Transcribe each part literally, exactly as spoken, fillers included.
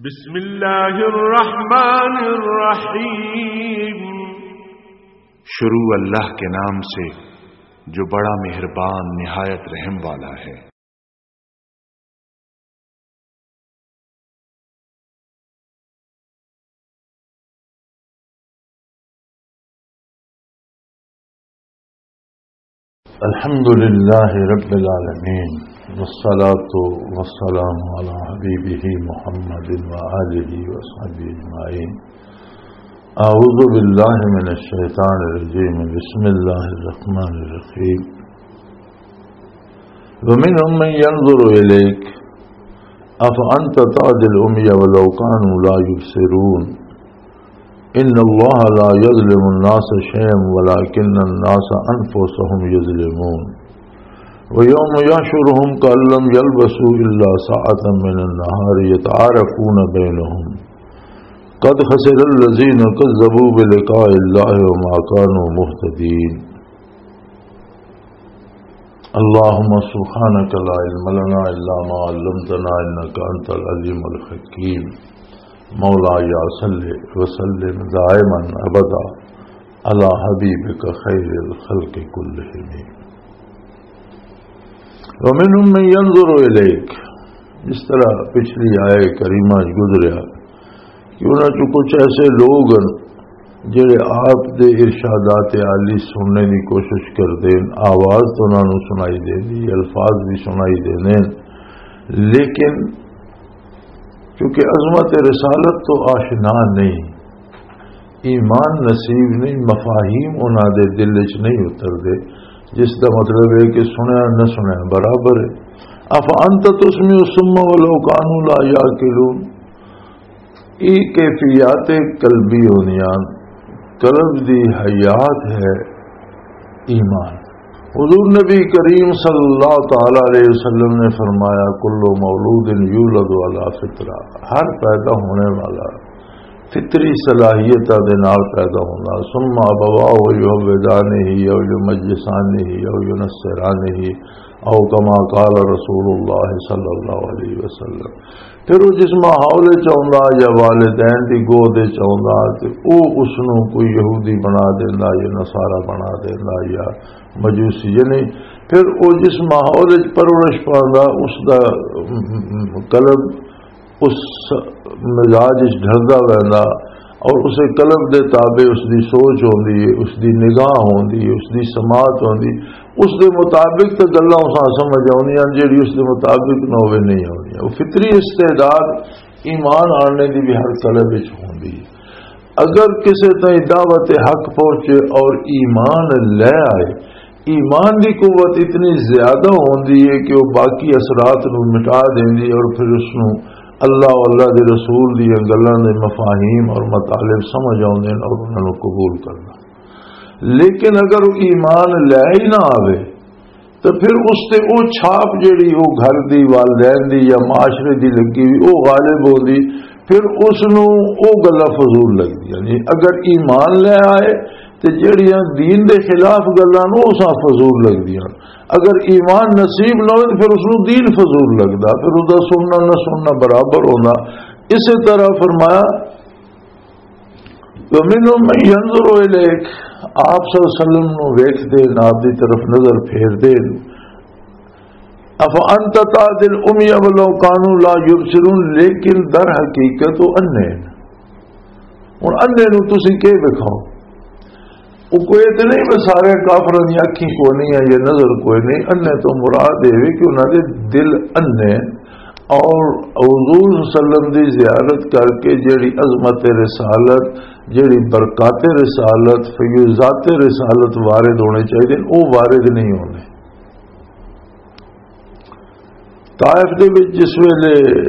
بسم اللہ الرحمن الرحیم۔ شروع اللہ کے نام سے جو بڑا مہربان نہایت رحم والا ہے۔ الحمد لله رب العالمين، والصلاة والسلام على حبيبه محمد وآله وصحبه أجمعين. أعوذ بالله من الشيطان الرجيم. بسم الله الرحمن الرحيم. ومنهم من ينظر إليك أفأنت تهدي العمي ولو كانوا لا يبصرون. إن الله لا يظلم الناس شيئا ولكن الناس أنفسهم يظلمون. ويوم يحشرهم كأن لم يلبثوا إلا ساعة من النهار يتعارفون بينهم قد خسر الذين كذبوا بلقاء الله وما كانوا مهتدين. اللهم سبحانك لا علم لنا إلا ما علمتنا إنك أنت العليم الحكيم. مولاي صل وسلم دائما أبدا على حبيبك خير الخلق كلهم. ومنهم من ينظر إليك، جس طرح پچھلی آیت کریمہ وچ گزریا کہ انہاں چوں کچھ ایسے لوگ ہن جڑے آپ دے ارشادات عالی سننے دی کوشش کردے ہن، آواز تو انہاں نوں سنائی دیندی، الفاظ بھی سنائی دیندے ہن، لیکن کیونکہ عظمت رسالت تو آشنا نہیں، ایمان نصیب نہیں، مفاہیم انہاں دے دل وچ نہیں اتردے، جس دا مطلب ہے کہ سنیا نہ سنیا برابر ہے۔ افانت تسمع الصم ولو کانوا لا یعقلون۔ یہ کیفیات قلبی ہوندیاں، قلب دی حیات ہے ایمان۔ حضور نبی کریم صلی اللہ تعالی علیہ وسلم نے فرمایا، "کل مولود یولد علی فطرہ"، ہر پیدا ہونے والا فطری صلاحیتاں دے نال پیدا ہونا، "ثم ابواہ یحودانہ او یمجسانہ او ینصرانہ"، او کما قال رسول اللہ صلی اللہ علیہ وسلم۔ پھر وہ جس ماحول وچ آوندا یا والدین دی گود وچ آوندا تے او اس نوں کوئی یہودی بنا دیندا یا نصارا بنا دیندا یا مجوسی، یعنی پھر وہ جس ماحول وچ پرورش پاندا، اس دا قلب اس مزاج وچ ڈھلدا ویندا اور اسے قلب دے تابع اس دی سوچ ہوندی ہے، اس دی نگاہ ہوندی ہے، اس دی سماعت ہوندی، اس دے مطابق تے گلاں اساں سمجھ آؤندیاں، جیڑی اس دے مطابق نہ ہووے نہیں آؤندیاں۔ وہ فطری استعداد ایمان آنے دی بھی ہر قلب وچ ہوندی ہے۔ اگر کسے تائیں دعوت حق پہنچے اور ایمان لے آئے، ایمان دی قوت اتنی زیادہ ہوندی ہے کہ وہ باقی اثرات نو مٹا دیندی ہے اور پھر اس نو اللہ اور اللہ دے رسول دی گلاں دے مفاہیم اور مطالب سمجھ آوندے نے اور انہاں نو قبول کرنا۔ لیکن اگر وہ ایمان لے ہی نہ آوے، تو پھر اس تے او چھاپ جیڑی او گھر دی، والدین دی یا معاشرے دی لگی ہوئی، او غالب ہوندی، پھر اس نو او گلاں فضول لگدی۔ یعنی اگر ایمان لے آئے تے جیڑیاں دین دے خلاف گلاں نو اساں فضول لگدیاں۔ اگر ایمان نصیب نہ ہوئے تے پھر اس نو دین فضول لگدا، پھر اس دا سننا نہ سننا برابر ہوندا۔ اسی طرح فرمایا، ومنهم من ينظر إليك، آپ صلی اللہ علیہ وسلم نو ویکھدے نے، آپ دی طرف نظر پھیردے نے۔ افانت تهدي العمي ولو كانوا لا يبصرون، لیکن در حقیقت وہ انے نے۔ ہن انے نو تسی کی وکھاؤ؟ وہ کوئی تے نہیں، بس سارے کافراں دی اکھیں کوئی نہیں ہے، یہ نظر کوئی نہیں۔ انے تو مراد یہ وی کہ انہاں دے دل انے، اور حضور صلی اللہ علیہ وسلم دی زیارت کر کے جڑی عظمت رسالت، جڑی برکات رسالت، فیوضات رسالت وارد ہونے چاہیے، وہ وارد نہیں ہونے۔ طائف دے وچ جس ویلے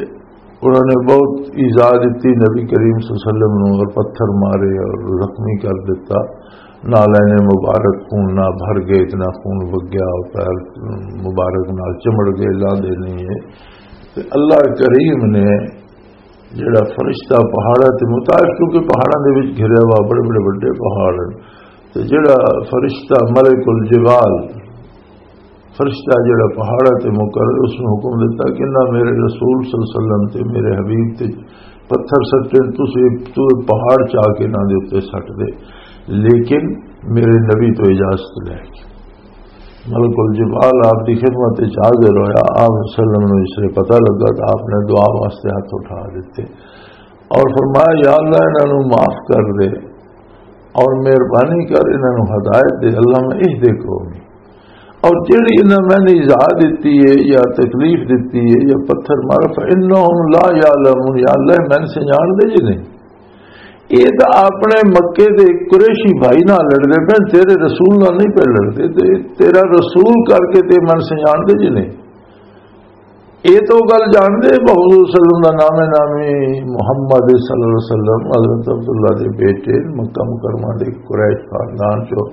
انہاں نے بہت ایذا دتی نبی کریم صلی اللہ علیہ وسلم نوں، اور پتھر مارے اور زخمی کر دتا، نالین مبارک خون نہ بھر گئے، اتنا خون وگیا اور پیر مبارک نال چمڑ گئے، لاندے نہیں ہے۔ تے اللہ کریم نے جڑا فرشتہ پہاڑاں تے متعارف، کیونکہ پہاڑاں دے وچ گھریا ہوا بڑے بڑے وڈے پہاڑ ہیں، تے جڑا فرشتہ ملک الجبال، فرشتہ جڑا پہاڑاں تے مقرر، اس نے حکم دیتا کہ نہ میرے رسول صلی اللہ علیہ وسلم تے میرے حبیب تے پتھر سٹے، تسے تو پہاڑ چا کے انہاں دے اوتے سٹ دے، لیکن میرے نبی تو اجازت لے کے۔ ملک الجبال آپ دی خدمت وچ حاضر ہویا، آپ صلی اللہ علیہ وسلم نوں اس لیے پتہ لگا تو آپ نے دعا واسطے ہاتھ اٹھا دیتے اور فرمایا، یا اللہ، انہاں نوں معاف کر دے اور مہربانی کر، انہاں نوں ہدایت دے، اللہ میں اہدے قومی۔ اور جڑی انہاں میں نے ایذا دتی ہے یا تکلیف دتی ہے یا پتھر مارا، فإنهم لا يعلمون، یا اللہ، میں سے جان دے جی نہیں۔ یہ تو اپنے مکے دے قریشی بھائی نال لڑدے پے، تیرے رسول نال نہیں پے لڑدے۔ تے تیرا رسول کر کے تے من سے جان دے جی نہیں۔ یہ تو گل جان دے، بہت حضور صلی اللہ علیہ وسلم دا نام نامی محمد صلی اللہ علیہ وسلم، حضرت عبداللہ دے بیٹے، مکہ مکرمہ دے قریش خاندان چو،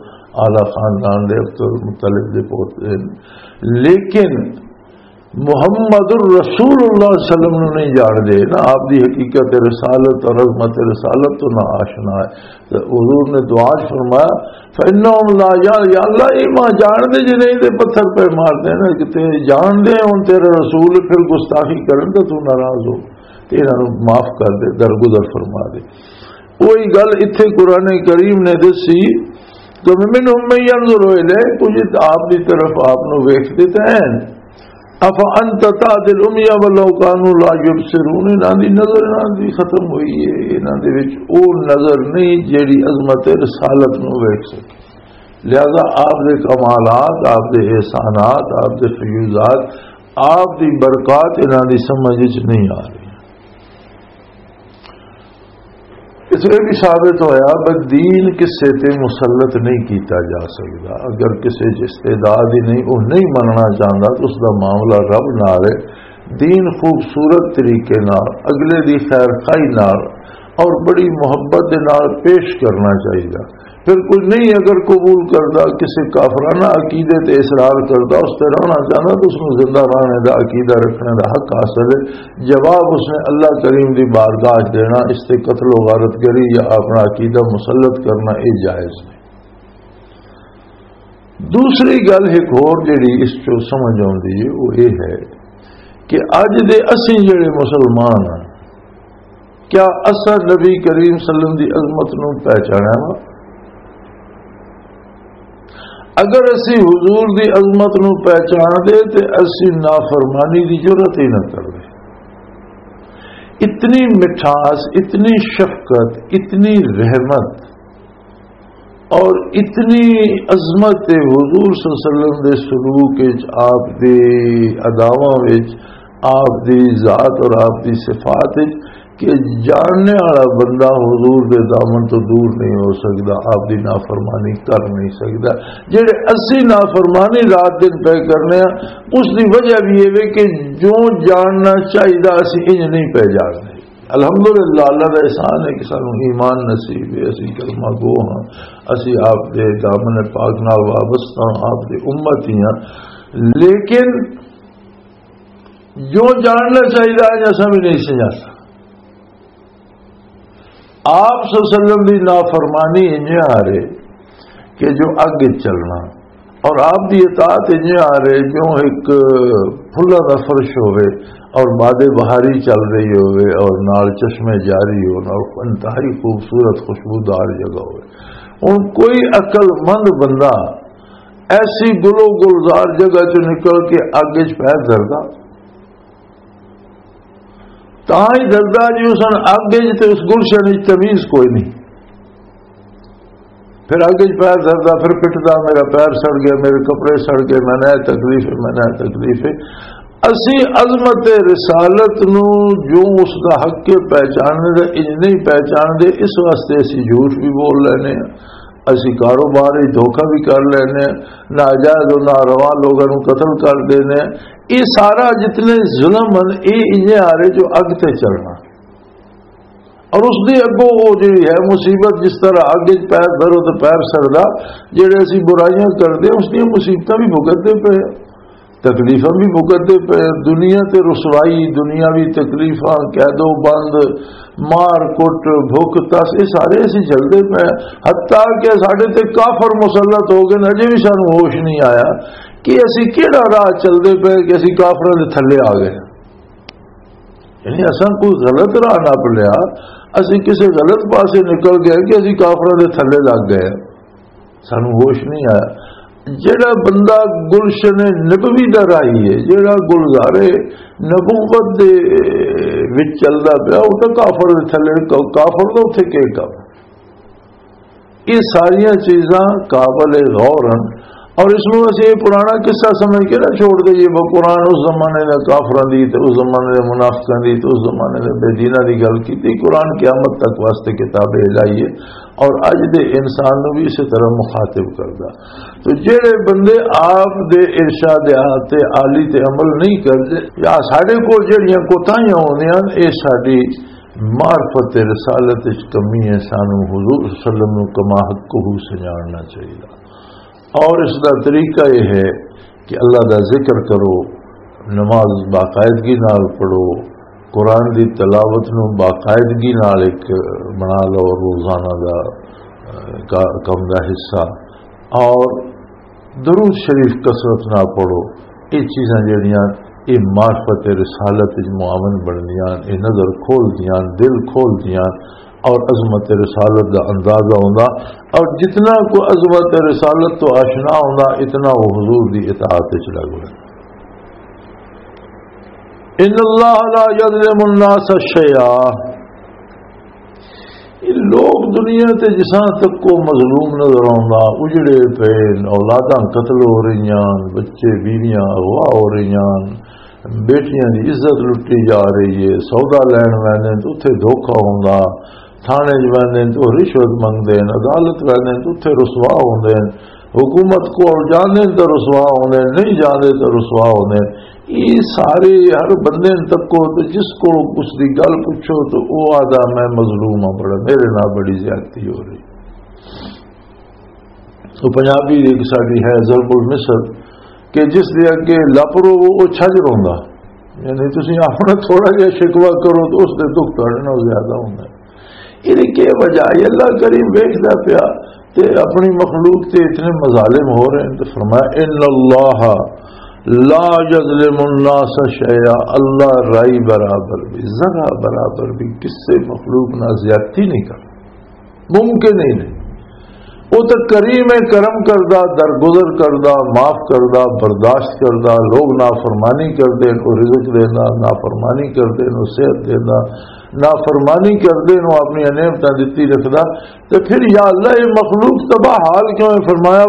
اعلیٰ خاندان دے، عبد المطلب دے پوتے۔ لیکن محمد الرسول اللہ صلی اللہ علیہ وسلم نوں نہیں جان دے نا، آپ دی حقیقت رسالت اور عظمت رسالت تو نہ آشنا ہے۔ تے حضور نے دعا چ فرمایا، فإنهم لا، یا، یا اللہ، یہ ماں جان دے جی نہیں، تے پتھر پہ مار دے نا، کہ تے جان دے ہن تیرا رسول پھر گستاخی کرن تے تو ناراض ہو، تے انہاں نوں معاف کر دے، درگزر فرما دے۔ وہی گل اتھے قرآن کریم نے دسی کہ منهم من ينظر إليك، کچھ آپ دی طرف آپ نوں ویکھدے تے ہیں۔ افانت تهدي العمي ولو كانوا لا يبصرون، انہاں دی نظر، انہاں دی ختم ہوئی ہے، انہاں دے وچ او نظر نہیں جیڑی عظمت رسالت نوں ویکھ سکے۔ لہذا آپ دے کمالات، آپ دے احسانات، آپ دے فیوزات، آپ دی برکات انہاں دی سمجھ وچ نہیں آ رہی۔ اس لیے بھی ثابت ہویا کہ دین کسے تے مسلط نہیں کیتا جا سکدا۔ اگر کسے چ استعداد ہی نہیں، وہ نہیں مننا چاہندا، تو اس دا معاملہ رب نال ہے۔ دین خوبصورت طریقے نال، اگلے دی خیر خواہی نال اور بڑی محبت دے نال پیش کرنا چاہیدا۔ پھر کوئی نہیں اگر قبول کردا، کسے کافرانہ عقیدے تے اصرار کردا، اس تے رہنا چاہندا، تو اس نوں زندہ رہنے دا عقیدہ رکھنے دا حق حاصل ہے۔ جواب اس نے اللہ کریم دی بارگاہ چ دینا، اس تے قتل و غارت گری یا اپنا عقیدہ مسلط کرنا، یہ جائز نہیں۔ دوسری گل ایک ہور جڑی اس چوں سمجھ آؤندی ہے، وہ یہ ہے کہ اج دے اسی جڑے مسلمان ہیں، کیا اساں نبی کریم صلی اللہ علیہ وسلم دی عظمت نوں پہچانیا وا؟ اگر اسی حضور دی عظمت نوں پہچان دے تے اسی نافرمانی دی جرات ہی نہ کردے۔ اتنی مٹھاس، اتنی شفقت، اتنی رحمت اور اتنی عظمت حضور صلی اللہ علیہ وسلم دے سلوک وچ، آپ دے اداواں وچ، آپ دی ذات اور آپ دی صفات وچ کہ جاننے والا بندہ حضور دے دامن تو دور نہیں ہو سکدا، آپ دی نافرمانی کر نہیں سکدا۔ جڑے اسی نافرمانی رات دن پہ کرنے ہیں، اس دی وجہ بھی یہ وے کہ جو جاننا چاہیدا اسی انج نہیں پہ جاننے۔ الحمدللہ، اللہ دا احسان ہے کہ سانو ایمان نصیب ہے، اسی کلمہ گو ہاں، اسی آپ دے دامن پاک نال وابستہ ہاں، آپ دے امت ہی ہاں۔ لیکن جو جاننا چاہیدا ہے، اساں بھی نہیں سمجھا سکتے۔ آپ صلی اللہ علیہ وسلم دی نافرمانی انجے آ رہے کہ جو اگ وچ چلنا، اور آپ دی اطاعت انجے آ رہے جو ایک پھلاں دا فرش ہوئے اور باد بہاری چل رہی ہوئے اور نال چشمے جاری ہون اور انتہائی خوبصورت خوشبودار جگہ ہوئے۔ ہن کوئی عقل مند بندہ ایسی گلو گلزار جگہ چ نکل کے اگ وچ پیر دھردا؟ تاں ہی دسدا جی، اس نے اگ وچ تے اس گلشن وچ تمیز کوئی نہیں۔ پھر اگ وچ پیر دسدا، پھر پٹدا، میرا پیر سڑ گیا، میرے کپڑے سڑ گئے، میں نہ تکلیف ہے، میں نہ تکلیف ہے۔ اسی عظمت رسالت نو، جو اس دا حق ہے پہچاننے دا، انج نہیں پہچان دے، اس واسطے اسی جھوٹ بھی بول لینے ہیں۔ اسی کاروبار وچ دھوکہ بھی کر لینے، ناجائز و ناروا لوگاں نوں قتل کر دینے۔ یہ سارا جتنے ظلم ہیں، یہ انجے آ رہے جو اگ تے چلنا۔ اور اس دی اگوں وہ جڑی ہے مصیبت، جس طرح اگ وچ پیر دھرو تے پیر سڑدا، جڑے اسی برائیاں کردے، اس دیاں مصیبتاں بھی بھگتدے پئے۔ تکلیفاں بھی بھگتدے پئے، دنیا تے رسوائی، دنیاوی تکلیفاں، قید و بند، مار کٹ، بھوک تس، یہ سارے اسی جھلدے پئے۔ حتیٰ کہ ساڈے تے کافر مسلط ہو گئے، اجے بھی سانو ہوش نہیں آیا کہ اسی کیڑا راہ چلدے پئے کہ اسی کافراں دے تھلے آ گئے۔ یعنی اساں کوئی غلط راہ نپ لیا، اسی کسی غلط پاسے نکل گئے کہ اسی کافراں دے تھلے لگ گئے، سانو ہوش نہیں آیا۔ جڑا بندہ گلشن نبوی دا راہی ہے، جڑا گلزارے نبوت دے وچ چلدا پیا، او تاں کافر دے تھلے، کافر دا اتھے کی کم؟ یہ ساریاں چیزاں قابل غور ہیں۔ اور اس نوں اسی یہ پرانا قصہ سمجھ کے نہ چھوڑ دئیے، وہ قرآن اس زمانے دے کافراں دی تے اس زمانے دے منافقاں دی تے اس زمانے دے بے دیناں دی گل کیتی۔ قرآن قیامت تک واسطے کتاب الہی ہے اور اج دے انسان نوں بھی اسی طرح مخاطب کردا۔ تو جڑے بندے آپ دے ارشادات تے عالی تے عمل نہیں کردے، یا ساڈے کول جڑیاں کوتاہیاں ہوندیاں، اے ساڈی معرفت رسالت وچ کمی ہے، سانو حضور صلی اللہ علیہ وسلم نو کما حقہ سنجاننا چاہیے۔ اور اس دا طریقہ یہ ہے کہ اللہ دا ذکر کرو، نماز باقاعدگی نال پڑھو، قرآن دی تلاوت نو باقاعدگی نال ایک بنا لو روزانہ دا، اہ، کا-، کم دا حصہ، اور درود شریف کثرت نال پڑھو۔ یہ چیزاں جڑیاں، یہ معرفت رسالت وچ معاون بندیاں، یہ نظر کھول دیاں، دل کھول دیاں، اور عظمت رسالت دا اندازہ ہوندا۔ اور جتنا کو عظمت رسالت تو آشنا ہوندا، اتنا وہ حضور دی اطاعت وچ لگ ویندا۔ ان اللہ لا یظلم الناس شیئا۔ یہ لوگ دنیا تے جساں تک کو مظلوم نظر آوندا، اجڑے پے، اولاداں قتل ہو رہیاں، بچے بیویاں اغوا ہو رہیاں، بیٹیاں دی عزت لٹی جا رہی ہے، سودا لین ویندے تے اتھے دھوکا ہوندا، تھانے وچ ویندے تے او رشوت منگدے نے، عدالت ویندے تے اتھے رسوا ہوندے نے، حکومت کول جاندے تے رسوا ہوندے نے، نہیں جاندے تے رسوا ہوندے نے۔ یہ سارے ہر بندے نوں تکو تے جس کو اس دی گل پوچھو تو او آدا میں مظلوم ہاں، بڑا میرے نال بڑی زیادتی ہو رہی۔ تو پنجابی ایک ساڈی ہے ضرب المثل کہ جس دے اگے لپ رو وہ چھج روندا، یعنی تسی اپنا تھوڑا جہا شکوہ کرو تو اس دے دکھ تہاڈے نال زیادہ ہوندا ہے۔ یہ کی وجہ ہے؟ اللہ کریم ویکھدا پیا تے اپنی مخلوق تے اتنے مظالم ہو رہے ہیں، تو فرمایا، ان اللہ لا یظلم الناس شیئا، اللہ رائی برابر بھی، ذرا برابر بھی کسے مخلوق نہ زیادتی نہیں کرتا، ممکن ہی نہیں۔ وہ تو کریم ہے، کرم کردا، درگزر کردا، معاف کردا، برداشت کردا، لوگ نافرمانی کردے نے، وہ رزق دیندا، نافرمانی کردے نے، وہ صحت دیندا، نافرمانی کردے نے، وہ اپنی نعمتاں دتی رکھدا۔ تے پھر یا اللہ، یہ مخلوق تباہ حال کیوں ہے؟ فرمایا،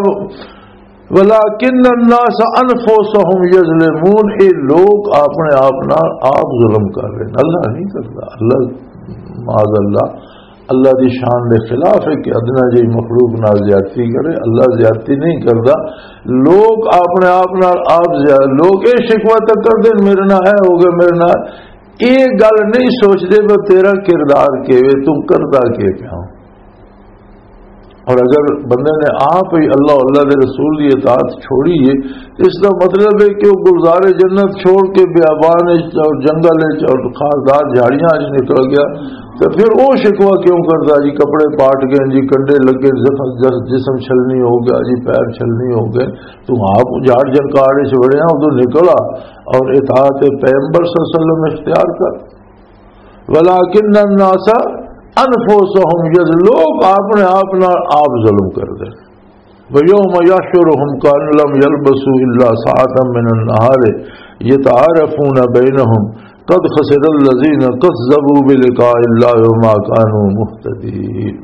ولکن الناس انفسهم یظلمون، یہ لوگ اپنے آپ نال آپ ظلم کر رہے ہیں، اللہ نہیں کردا۔ اللہ، معاذ اللہ، اللہ دی شان دے خلاف ہے کہ ادنا جہی مخلوق نال زیادتی کرے، اللہ زیادتی نہیں کردا۔ لوگ اپنے آپ نال آپ زیادہ، لوگ یہ شکوہ تک کردے نے، میرے نال اے ہو گیا، میرے نال، یہ گل نہیں سوچدے وہ تیرا کردار کیویں، تم کردا کی پیا۔ اور اگر بندے نے آپ ہی اللہ، اللہ دے رسول دی اطاعت چھوڑی ہے، اس دا مطلب ہے کہ وہ گلزار جنت چھوڑ کے بیابان وچ اور جنگل وچ اور خاردار جھاڑیاں وچ نکل گیا، تو پھر وہ شکوہ کیوں کردا جی؟ کپڑے پاٹ گئے جی، کنڈے لگے، زخم-، جس-، جسم چھلنی ہو گیا جی، پیر چھلنی ہو گئے۔ تو آپ جھاڑ جھنکاڑ وچ وڑیا، ادھر نکلا اور اطاعت پیغمبر صلی اللہ علیہ وسلم اختیار کر۔ ولکن الناس انفسهم یظ-، لوگ اپنے آپ نال آپ ظلم کردے۔ ویوم یحشرهم کأن لم یلبثوا الا ساعة من النهار یتعارفون بینهم قد خسر الذین کذبوا بلقاء اللہ وما کانوا مهتدین۔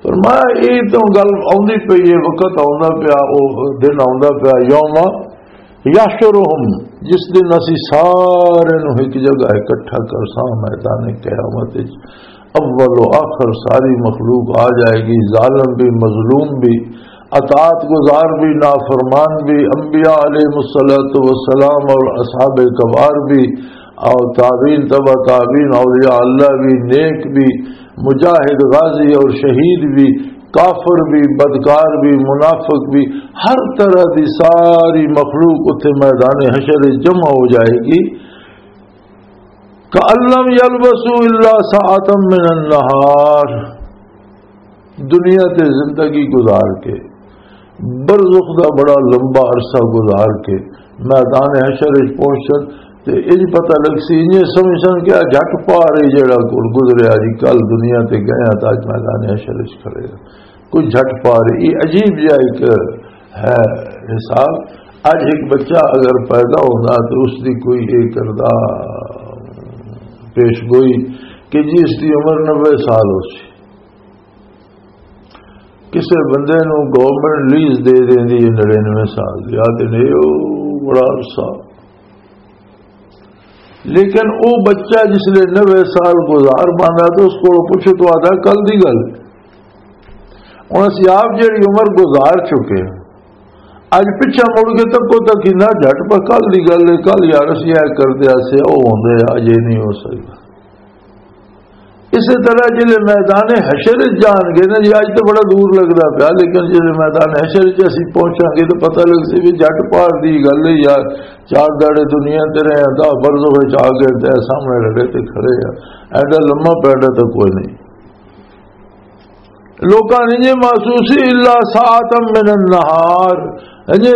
فرمایا، یہ تو گل آندی پئی ہے، وقت آندا پیا، او دن آندا پیا، یوم یحشرہم، جس دن اسی سارے نو ایک جگہ اکٹھا کرساں میدان قیامت وچ، اول و آخر ساری مخلوق آ جائے گی، ظالم بھی، مظلوم بھی، اطاعت گزار بھی، نافرمان بھی، انبیاء علیہ الصلوۃ والسلام اور اصحاب کبار بھی، اور تابعین، تبع تابعین، اولیاء اللہ بھی، نیک بھی، مجاہد، غازی اور شہید بھی، کافر بھی، بدکار بھی، منافق بھی، ہر طرح دی ساری مخلوق اتھے میدان حشر وچ جمع ہو جائے گی۔ کأن لم یلبثوا الا ساعة من النہار، دنیا تے زندگی گزار کے، برزخ دا بڑا لمبا عرصہ گزار کے میدان حشر وچ پہنچن، تے انج پتہ لگ سی، انج سمجھ سن کہ آ جھٹ پار ہی جڑا گزریا جی، کل دنیا تے گیا تے اج میدان حشر وچ کھڑے ہاں۔ کوئی جھٹ پار ہی، یہ عجیب جہا ایک ہے حساب۔ اج ایک بچہ اگر پیدا ہوندا تو اس دی کوئی یہ کردا پیش گوئی کہ جی اس دی عمر نبے سال ہو سی۔ کسے بندے نوں گورنمنٹ لیز دے دیندی ہے نڑینوے سال دی، آ تے نہیں، او بڑا عرصہ۔ لیکن او بچہ جس لے نوے سال گزار پاندا تے اس کولوں پچھو تو آدا کل دی گل۔ ہن اسی آپ جڑی عمر گزار چکے ہاں، اج پچھا مڑ کے تکو تک ہی نہ جھٹ پہ کل دی گل ہے، کل یار اسی اے کردے آسے او ہوندے آ، اج اے نہیں ہو سکدا۔ اسی طرح جلے میدان حشر وچ جان گے نا جی، اج تو بڑا دور لگدا پیا، لیکن جلے میدان حشر وچ اسی پہنچاں گے تو پتہ لگ سی بھی جھٹ پار دی گل ہے یار، چار داڑے دنیا تے رہے ہیں، دہ برزخ وچ آ گئے تے سامنے رڑے تے کھڑے ہیں، ایڈا لمبا پیڈا تو کوئی نہیں۔ لوکاں نے یہ محسوس ہی الا ساعتا من النہار، یعنی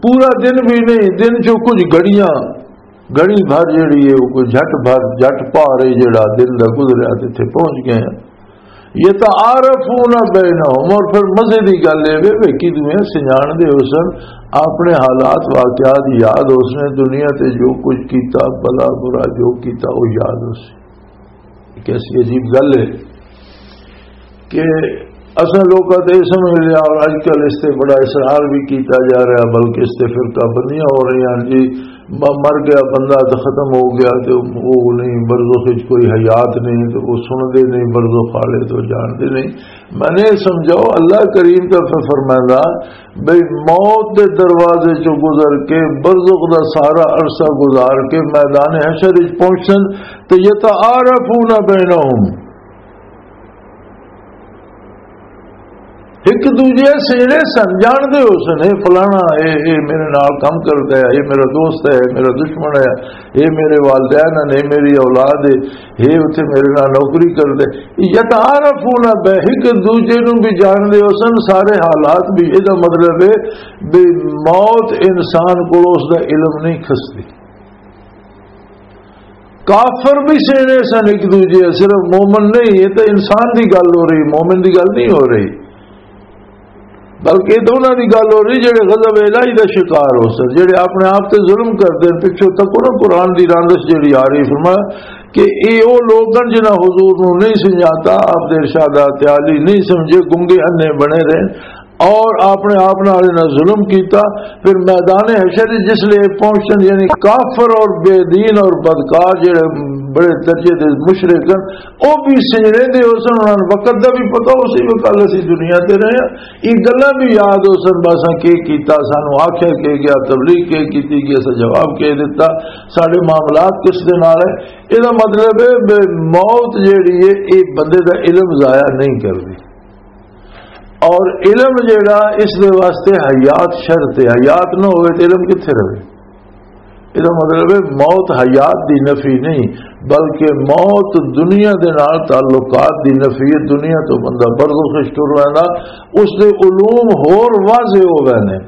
پورا دن بھی نہیں، دن چوں کچھ گھڑیاں، گھڑی بھر جڑی ہے وہ کوئی جھٹ بھر، جھٹ پار ہے جڑا دن دا گزریا تے اتھے پہنچ گئے ہیں۔ یتعارفون بینہم، اور پھر مزے دی گل اے وے، وے کی دوئیں سنجان دے حسن، اپنے حالات واقعات یاد حسن، دنیا تے جو کچھ کیتا، بھلا برا جو کیتا، وہ یاد حسن۔ ایک ایسی عجیب گل ہے کہ اساں لوکاں تے یہ سمجھ لیا، اور اج کل اس تے بڑا اصرار بھی کیتا جا رہا، بلکہ اس تے فرقہ بندیاں ہو رہی ہیں جی، م-، مر گیا بندہ تو ختم ہو گیا، تو وہ نہیں، برزخ وچ کوئی حیات نہیں، تو وہ سن دے نہیں، برزخ والے تو جان دے نہیں۔ میں نے سمجھاؤ، اللہ کریم کا فرمائنا بھئی، موت دے دروازے چوں گزر کے، برزخ دا سارا عرصہ گزار کے میدان حشر وچ پہنچن، تے یتعارفون بینہم، ایک دوجے سینے سن، جان دے ہو سن، اے فلانا، اے، اے میرے نال کم کردا ہے، اے میرا دوست ہے، اے میرا دشمن ہے، اے میرے والدین ہیں، اے میری اولاد ہے، اے اتھے میرے نال نوکری کردا ہے۔ یتعارفون بہ، ایک دوجے نوں بھی جان دے ہو سن، سارے حالات بھی۔ اے دا مطلب ہے بھی موت انسان کو اس دا علم نہیں کھسدی۔ کافر بھی سینے سن ایک دوجے، صرف مومن نہیں، یہ تو انسان دی گل ہو رہی، مومن دی گل نہیں ہو رہی، بلکہ یہ تو انہاں دی گل ہو رہی جڑے غضب الہی دا شکار ہو سن، جڑے اپنے آپ تے ظلم کردے ہیں۔ پچھوں تک انہاں قرآن دی رانگش جڑی آ رہی، فرمایا کہ اے او لوگ ہیں جنہاں حضور نو نہیں سمجھاتا، آپ دے ارشادات عالی نہیں سمجھے، گنگے انے بنے رہے، اور اپنے آپ نال انہاں ظلم کیتا۔ پھر میدان حشر جس لے پہنچن، یعنی کافر اور بے دین اور بدکار جڑے بڑے درجے دے مشرک ہیں، او بھی سجڑے دے ہو سن، انہاں نوں وقت دا بھی پتہ ہو سی، وہ کل اسی دنیا تے رہے ہیں۔ یہ گلاں بھی یاد ہو سن، باساں کی کیتا، سانو آکھیا کی گیا، تبلیغ کی کیتی گئی، اساں جواب کی دتا، ساڈے معاملات کس دے نال ہے۔ یہ مطلب ہے بے موت جیڑی ہے، یہ بندے دا علم ضائع نہیں کردی۔ اور علم جیڑا، اس دے واسطے حیات شرط ہے، حیات نہ ہوئے تو علم کتھے رہے؟ یہ مطلب ہے موت حیات دی نفی نہیں، بلکہ موت دنیا دے نال تعلقات دی نفی ہے۔ دنیا تو بندہ برزخ وچ ٹر ویندا، اس دے علوم ہور واضح ہو ویندے،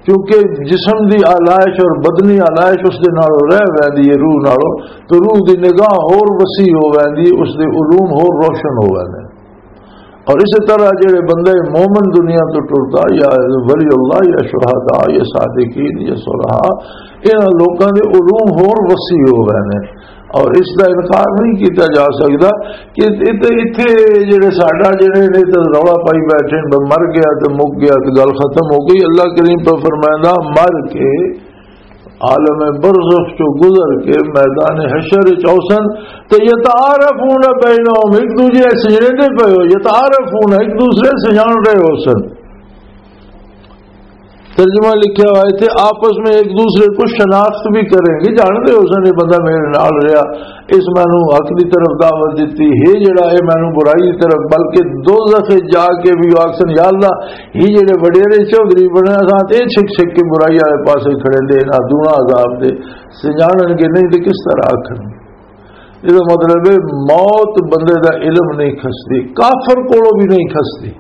کیونکہ جسم دی آلائش اور بدنی آلائش اس دے نالوں رہ ویندی ہے، روح نالوں، تو روح دی نگاہ ہور وسیع ہو ویندی ہے، اس دے علوم ہور روشن ہو ویندے۔ اور اسی طرح جڑے بندے مومن دنیا تو ٹردا، یا ولی اللہ، یا شہداء، یا صادقین، یا صلحاء، انہاں لوکاں دے علوم ہور وسیع ہو گئے نے۔ اور اس دا انکار نہیں کیتا جا سکدا کہ اتھے، اتھے جڑے ساڈا جڑے نے تے رولا پائی بیٹھے نے، مر گیا تے مک گیا تے گل ختم ہو گئی۔ اللہ کریم پر فرمائندا، مر کے عالم برزخ چوں گزر کے میدان حشر وچ اوسن تے یتعارفون بینہم، ایک دوجے سجڑے دے پئے ہو، یتعارفون، ایک دوسرے سے جان رہے ہو سن۔ ترجمہ لکھا ہوا ہے تھے، آپس میں ایک دوسرے کو شناخت بھی کریں گے، جانتے ہو سن، یہ بندہ میرے نال رہا، اس مینوں حق دی طرف دعوت دتی، یہ جڑا ہے مینوں برائی دی طرف، بلکہ دوزخ وچ جا کے بھی آکھن، یا اللہ، یہ جڑے وڈیرے چوہدری بنے، اساں تے چھک چھک کے برائی والے پاسے کھڑے دے، نہ دونا عذاب دے، سجانن کے نہیں تے کس طرح آکھن؟ یہ مطلب ہے موت بندے دا علم نہیں کھسدی، کافر کولوں بھی نہیں کھسدی۔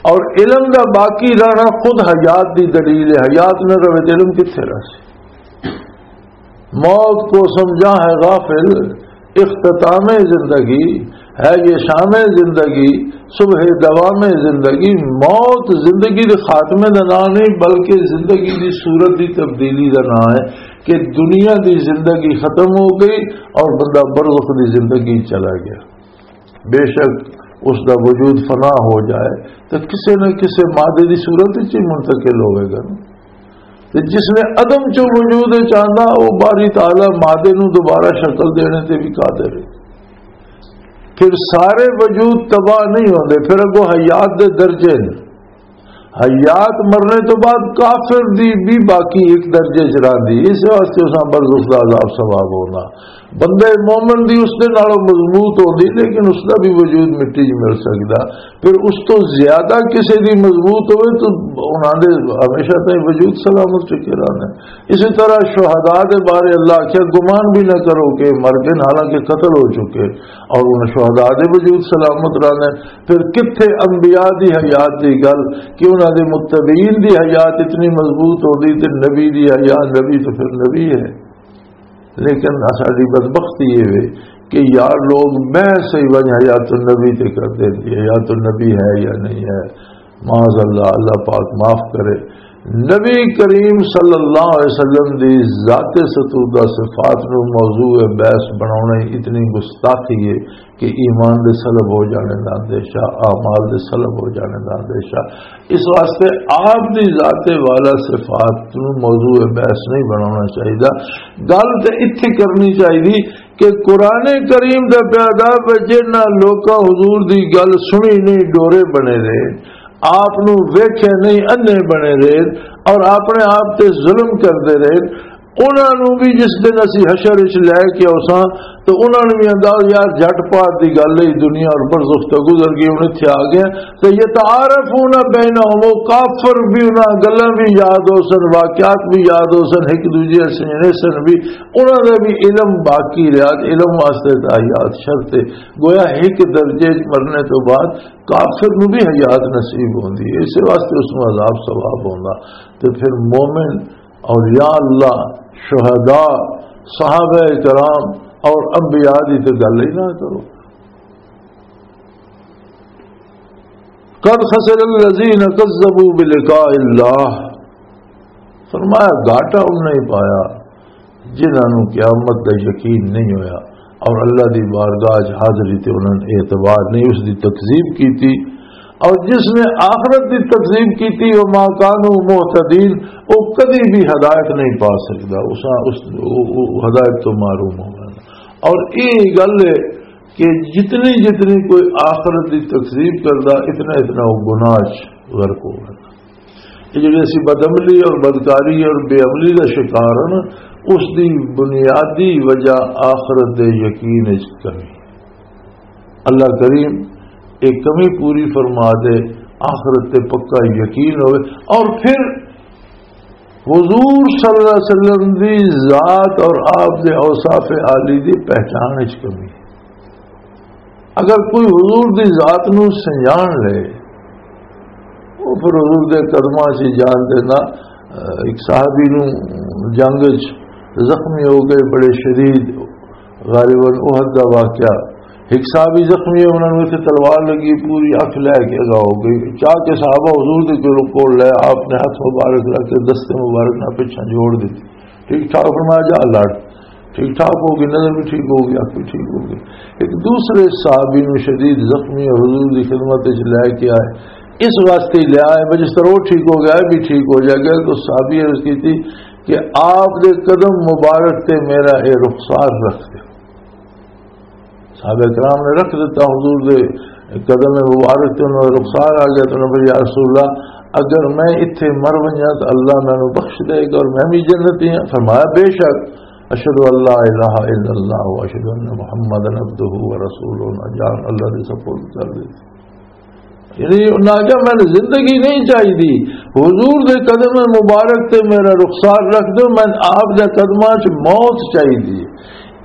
اور علم دا باقی رہنا خود حیات دی دلیل ہے، حیات نہ رہے تے علم کتھے رہ سی؟ موت کو سمجھا ہے غافل، اختتام زندگی ہے یہ شام زندگی، صبح دوام زندگی۔ موت زندگی دے خاتمے دا نام نہیں، بلکہ زندگی دی صورت دی تبدیلی دا نام ہے کہ دنیا دی زندگی ختم ہو گئی اور بندہ برزخ دی زندگی چلا گیا۔ بے شک اس دا وجود فنا ہو جائے تو کسے نہ کسے مادے دی صورت وچ ہی منتقل ہوئے گا نا۔ تے جس نے عدم چوں وجود وچ آندا، او باری تعالیٰ مادے نوں دوبارہ شکل دینے تے بھی قادر ہے۔ پھر سارے وجود تباہ نہیں ہوندے، پھر اگوں حیات دے درجے نے۔ حیات مرنے تو بعد کافر دی بھی باقی ایک درجے چ راندی، اس واسطے اساں برزخ دا عذاب ثواب ہونا۔ بندے مومن دی اس دے نالوں مضبوط ہوندی، لیکن اس دا بھی وجود مٹی چ مل سکدا۔ پھر اس تو زیادہ کسے دی مضبوط ہوئے تو انہاں دے ہمیشہ تائیں وجود سلامت چکے رہنا ہے۔ اسی طرح شہداء دے بارے اللہ آکھیا، گمان بھی نہ کرو کہ مر گئے، حالانکہ قتل ہو چکے، اور انہاں شہداء دے وجود سلامت رہنا ہے۔ پھر کتھے انبیاء دی حیات دی گل کہ انہاں دے متبعین دی حیات اتنی مضبوط ہوندی تے نبی دی حیات، نبی تو پھر نبی ہے۔ لیکن ساڈی بدبختی یہ وے کہ یار لوگ بحث ہی ونج حیات النبی تے کر دے دی، حیات النبی ہے یا نہیں ہے۔ معاذ اللہ، اللہ پاک معاف کرے۔ نبی کریم صلی اللہ علیہ وسلم دی ذات ستودہ صفات نو موضوع بحث بناونا ہی اتنی گستاخی ہے کہ ایمان دے سلب ہو جانے دا اندیشہ، اعمال دے سلب ہو جانے دا اندیشہ۔ اس واسطے آپ دی ذات والا صفات نو موضوع بحث نہیں بناونا چاہیدا۔ گل تے اتھے کرنی چاہیدی کہ قرآن کریم دا پیدا جنہاں لوکاں حضور دی گل سنی نہیں، ڈورے بنے رہے، آپ نو ویکھے نہیں، اندھے بنے رہے اور اپنے آپ تے ظلم کردے رہے، انہاں نوں بھی جس دن اسی حشر وچ لے کے اوساں، تو انہاں نوں بھی انداز، یار، جھٹ پات دی گل ہے، دنیا اور برزخ تو گزر گئی، ہن اتھے آ گئے۔ تو یتعارفون بینہم، وہ کافر بھی، انہاں گلاں بھی یاد ہو سن، واقعات بھی یاد ہو سن، ایک دوجے سنجنے سن بھی، انہاں دا بھی علم باقی رہا۔ علم واسطے تو حیات شرط ہے۔ گویا ایک درجے وچ مرنے تو بعد کافر نوں بھی حیات نصیب ہوندی ہے، اس واسطے اس نوں عذاب ثواب ہوندا۔ تو پھر مومن، اولیاء اللہ، شہداء، صحابہ کرام اور انبیاء دی تے گل ہی نہ کرو۔ قد خسر الذین کذبوا بلقاء اللہ، فرمایا گھاٹا انہوں نے پایا جنہاں نوں قیامت دا یقین نہیں ہویا اور اللہ دی بارگاہ وچ حاضری تے انہاں نے اعتبار نہیں، اس دی تکذیب کیتی۔ اور جس نے آخرت دی تکذیب کیتی، وما کانوا مہتدین، وہ کدی بھی ہدایت نہیں پا سکدا، اس، اس، وہ، وہ ہدایت تو محروم ہوگا۔ اور یہ گل ہے کہ جتنی جتنی کوئی آخرت دی تکذیب کردا، اتنا اتنا وہ گناہ چ غرق ہوگا۔ یہ جڑی اسی بدعملی اور بدکاری اور بے عملی دا شکار ہاں نا، اس دی بنیادی وجہ آخرت دے یقین وچ کمی۔ اللہ کریم ایک کمی پوری فرما دے، آخرت تے پکا یقین ہوئے، اور پھر حضور صلی اللہ علیہ وسلم دی ذات اور آپ دے اوصاف عالی دی پہچان وچ کمی۔ اگر کوئی حضور دی ذات نو سنجان لے، وہ پھر حضور دے قدماں چ جان دینا۔ ایک صحابی نو جنگ وچ زخمی ہو گئے، بڑے شدید، غالباً احد دا واقعہ۔ ایک صحابی زخمی ہے، انہوں نے اتنے تلوار لگی، پوری اکھ لے کے اگا ہو گئی۔ چاہ کے صحابہ حضور دے کول، کول لے، آپ نے ہاتھ مبارک رکھ کے دستے مبارک نہ پچھا جوڑ دیتی۔ ٹھیک ٹھاک؟ فرمایا، جا لڑ۔ ٹھیک ٹھاک ہو گئی، نظر بھی ٹھیک ہو گئی، اکھ بھی ٹھیک ہو گئی۔ ایک دوسرے صحابی نو شدید زخمی اور حضور دی خدمت وچ لے کے آئے، اس واسطے لے آئے، بھئی جس طرح وہ ٹھیک ہو گیا، یہ بھی ٹھیک ہو جائے گا۔ تو صحابی عرض کی تھی کہ آپ دے قدم مبارک تے میرا اے رخسار رکھ دے۔ صحابہ کرام نے رکھ دیتا حضور دے قدم مبارک تے، انہوں نے رخسار آ گیا۔ تو انہوں نے فرمایا، یا رسول اللہ، اگر میں اتھے مر ونجا تو اللہ مینوں بخش دے گا اور میں بھی جنتی ہاں۔ فرمایا، بے شک، اشہد ان لا الہ الا اللہ و اشہد ان محمدا عبدہ و رسولہ، جان اللہ دے سپرد کر دیتی۔ یعنی انہاں آکھیا، مینوں زندگی نہیں چاہیدی، حضور دے قدم مبارک تے میرا رخسار رکھ دو، میں آپ دے قدماں چ موت چاہیدی۔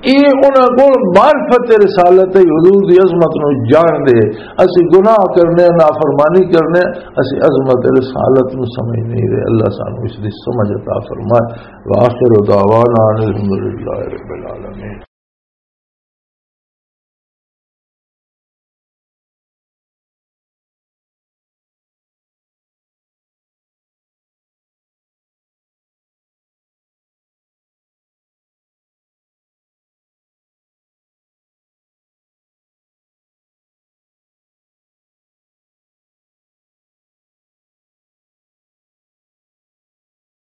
یہ انہاں کول معرفت رسالت ہے، حضور دی عظمت نو جان دے۔ اسی گناہ کرنے، نافرمانی کرنے، اسی عظمت رسالت نو سمجھ نہیں رہے۔ اللہ سانو اس دی سمجھ عطا فرمائے۔ وآخر دعوانا ان الحمدللہ رب العالمین۔